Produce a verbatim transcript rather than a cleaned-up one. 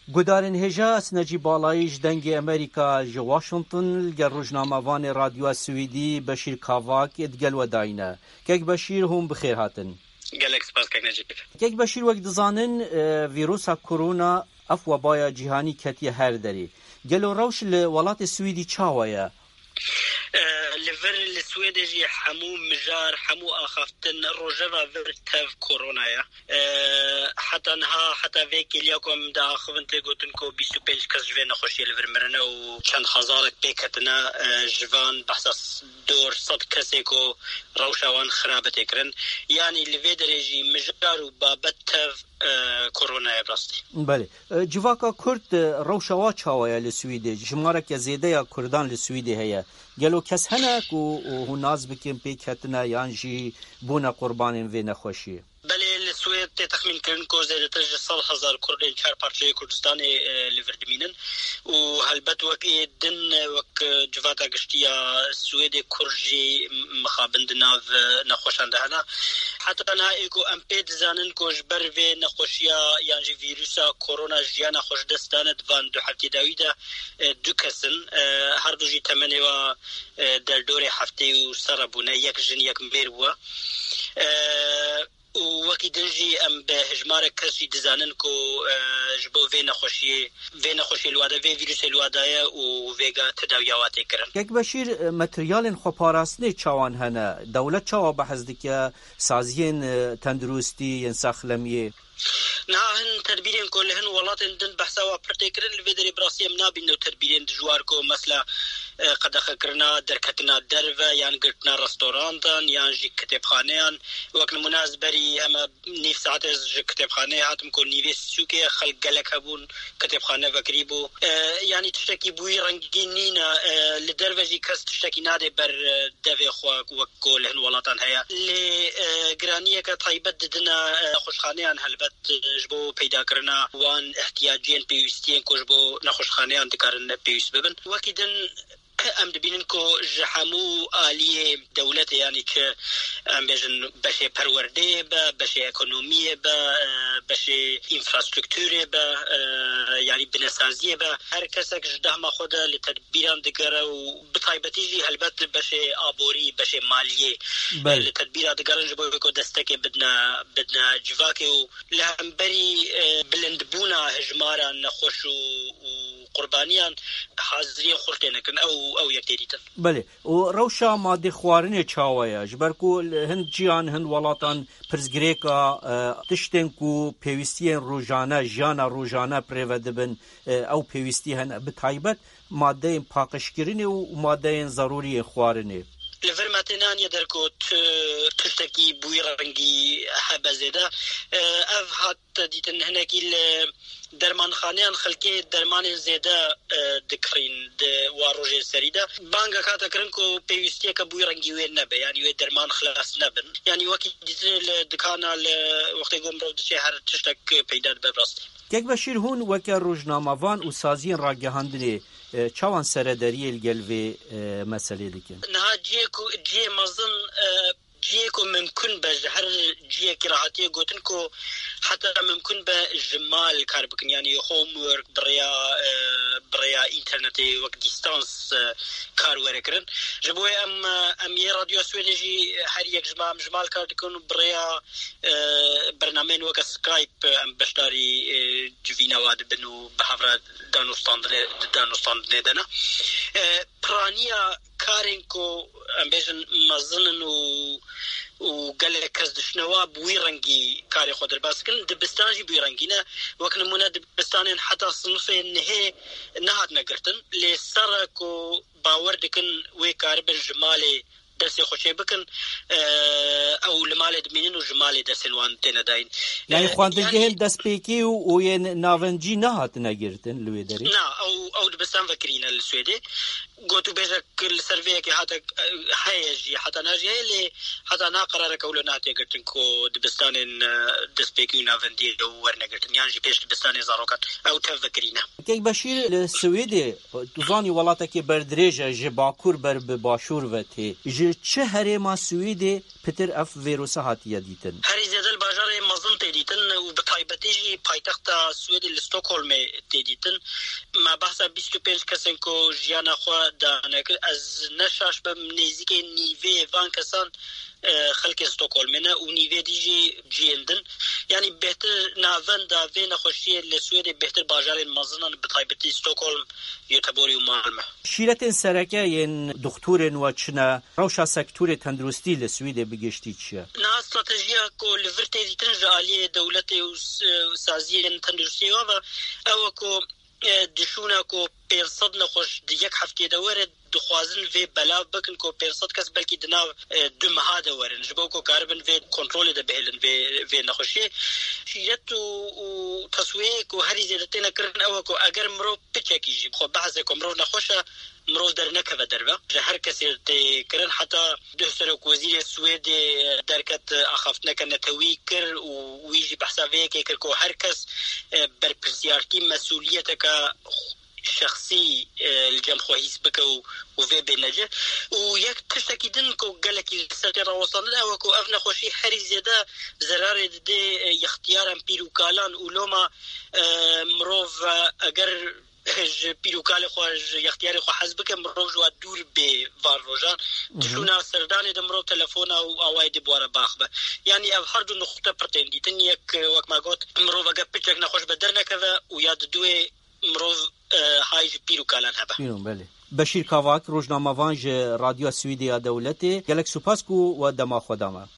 Guhdarên hêja, ez Necîb Balayî ji Dengê Amerîka ji Washington li gel rojnamevanê Radyoya Swêdî Beşîr Kavak digel we dayîne. Kek Beşîr, hûn bi xêr hatin. Gelek spas kek Necîb. Kek Beşîr, wek dizanin, e, vîrusa korona ev webaya cîhanî ketiye her derê. Gelo rewş li welatê Swêdî çawa ye? E, li vir li Swêdê jî hemû mijar, hemû axaftin rojeva vir tev korona ye. E, heta niha, heta vê kêliya ku em diaxivin tê gotin ku bîst û pênc kes ji vê nexweşiyê li vir mirine û çend hezarek pê ketine, e, ji van behsa s-, dor sed kesê ku rewşa wan xirabe tê kirin. Yanî li vê derê jî mijar û babet tev, e, koronayê bi rastî. Belê. E, civaka Kurd, e, rewşa wa çawa ye li Swîdê? Jimareke zêde ya Kurdan li Swîdê heye. Gelo kes hene ku hûn nas bikin pê ketine yan jî bûne qurbanên vê nexweşiyê? Belê, li Swêd tê texmîn kirin ku zêdetir ji sed hezar Kurdên çar parçeyê Kurdistanê, e, li vir dimînin û helbet wek ê din, e, wek, e, civata giştî ya Swêdê Kurd jî mixabin di nav, e, nexweşan de hene. Heta niha ê ku em pê dizanin ku ji ber vê nexweşiya yan jî vîrusa korona jiyana xwe ji dest dane di van du heftê dawî de, e, du kes in. E, her du jî temenê wa, e, derdorê heftê û serre bûne, yek jin, yek mêr bûye. E, û wekî din jî em bi hejmarek kes jî dizanin ku, e, ji bo vê nexweşiyê, vê nexweşiyê li wa de, vê vîrusê li wa de ye û vêga tedawiya wa tê kirin. Kek Beşîr, e, materyalên xweparastinê çawan hene? Dewlet çawa behs dike? Saziyên, e, tenduristî yên saxlemiyê? Niha hin tedbîrên ku li hin welatên din behsa wa pir tê kirin, li vê derê bi rastî em nabînin ew tedbîrên dijwar ku mesela, e, qedexekirina derketina derve yan girtina restorantan yan jî kitêbxaneyan. Wek nimûne ez berî heme nîv saetê ez ji kitêbxaneyê hatim ku nîvê sûkê xelk gelek hebûn, kitêbxane vekirî bû. E, yanî tiştekî bi wî rengî nîne. E, li derve jî kes tiştekî nade ber, e, devê xwe wek ku li hin welatan heye. Lê, e, giraniyeke taybet didine, e, nexweşxaneyan helbet, e, ji bo peydakirina wan ihtiyaciyên pêwîstiyên ku ji bo nexweşxaneyan dikarin pêwîst bibin. Wekî din em dibînin ku ji hemû aliyê dewletê, yanî çi em bêjin beşê perwerdeyê be, beşê ekonomiyê be, e, beşê înfrastrukturê be, e, yanî binesaziyê be, her kesek ji dehma xwe de li tedbîran digere û bi taybetî jî helbet li beşê aborî, beşê maliyê, Belê. li tedbîra digerin ji bo ku destekê bidine, bidine civakê û li hemberî, e, bilindbûna hejmara nexweş û, û qurbaniyan haziriyên xurt têne kirin. Ew, ew yek tê dîtin. Belê. Û rewşa madê xwarinê çawa ye? Ji ber ku li hin ciyan, hin welatan pirsgirêka, e, tiştên ku pêwîstiyên rojane, jiyana rojane pirêve dibin, e, ew pêwîstî hene. Bi taybet madeyên paqijkirinê û madeyên zerûriyên xwarinê. Li vir me têne aniye der ku tu tiştekî bi wî rengî hebe zêde. E, ev hat dîtin hinekî li dermanxaneyan xelkê dermanên zêde, e, dikirîn di wa rojên serî de. Bangek hate kirin ku pêwîstiyeke bi wî rengî wê nebe, yanî wê derman xilas nebin. Yanî wekî dîtinê li dikana li wextê ku mirov diçe her tiştek peyda dibe bi rastî. Kek Beşîr, hûn weke rojnamevan û saziyên ragihandinê, e, çawan serederiyê li gel vê, e, meselê dikin? Niha cihê ku, cihê mezin, e, cihê ku mimkun be ji her cihekî re hatiye gotin ku heta mimkun be ji mal kar bikin, yanî homework bi rêya, e, bi rêya înternetê wek dîstans, e, kar were kirin. Ji bo wê em, e, em yê Radyoya Swêdê jî her yek ji me em ji mal kar dikin û bi rêya, e, bernameyên weke Skype em beşdarî, e, civîna wa dibin û bi hev re danûstandinê, di danûstandinê de ne. E, piraniya karên ku em bêjin mezin in û, û gelek kes dişine wa bi wî rengî karê xwe derbas dikin. Dibistan jî bi wî rengî ne. Wek nimûne dibistanên heta sinifê nihê nehatine girtin. Lê ser e ku bawer dikin wê karibin ji malê dersê xwe çê bikin, e, ew li malê dimînin û ji malê dersên wan têne dayîn. Yanî E, xwendegehên yanî destpêkê û, û yên navencî nehatine girtin li wê derê? Na, ew, ew dibistan vekirî ne li Swêdê. Gotûbêjek li ser vê yekê hate, heye jî, heta niha jî heye, lê heta niha qerareke wilo nehatiye girtin ku dibistanên, e, destpêkî û navendiyê werne girtin, yan jî pêş dibistanê zarokan ew tev vekirîne. Kek Beşîr, li Swêdê, tu zanî, welatekî berdirêj e, ji bakur ber bi başûr ve tê. Ji çi herêma Swêdê pitir ev vîrusa hatiye dîtin? Herî zêde li bajarê mezin tê dîtin û bi taybetî jî paytexta Swêdê li Stockholmê tê dîtin. Me behsa bîst û pênc kesên ku jiyana xwe dane kir. Ez ne şaş bim, nêzîkê nîvê van kesan, e, xelkê Stockholmê ne û nîvê dî jî cihên din. Yanî bêhtir navenda vê nexweşiyê li Swêdê bêhtir bajarên mezin in, bi taybetî Stockholm, Göteborg û Malmö. Şîretên sereke yên doxtorên we çi ne? Rewşa sektorê tenduristî li Swêdê bi giştî çi ye? Niha stratejiya ku li vir tê dîtin ji aliyê dewletê û s-, saziyên tenduristiyê ve, ew e ku, e, di şûna ku pênc sed nexweş di yek hefteyê de were, dixwazin vê belav bikin ku pênc sed kes belkî di nav, e, du meha de werin, ji bo ku karibin vê kontrolê de bihêlin vê, vê nexweşiyê. Şîret û, û teswiyeyê ku herî zêde têne kirin ew e ku eger mirov piçekî jî xwe behse ku mirov nexweş e, mirov dernekeve derve. Ji her kesê tê kirin, heta duh serokwezîrê Swêdê derket, axaftineke netewî kir û wî jî behsa vê yekê kir ku her kes, e, berpirsiyartî, mesûliyeteke şexsî, e, li cem xwe hîs bike û, û vê bêne cih. Û yek tiştekî din ku gelekî li ser tê rawestandin ew e ku ev nexweşî herî zêde zerarê didê, e, yextiyaran pîr û kalan û loma, e, mirov, e, eger ji pîr û kalê xwe, ji yextiyarê xwe hez bike, mirov ji we dûr bê van rojan. Di şûna serdanê de mirov telefona û awayê dê bi we re biaxive. Yanî ev her du nuqte pir tên dîtin. Yek, wek me got, mirov eger piçek nexweş be dernekeve û ya diduê mirov, e, hay ji pîr û kalan hebe. Bîno, belê. Beşîr Kavak, rojnamevan ji Radyoya Swêdê ya Dewletê, gelek spas ku we dema xwe da me.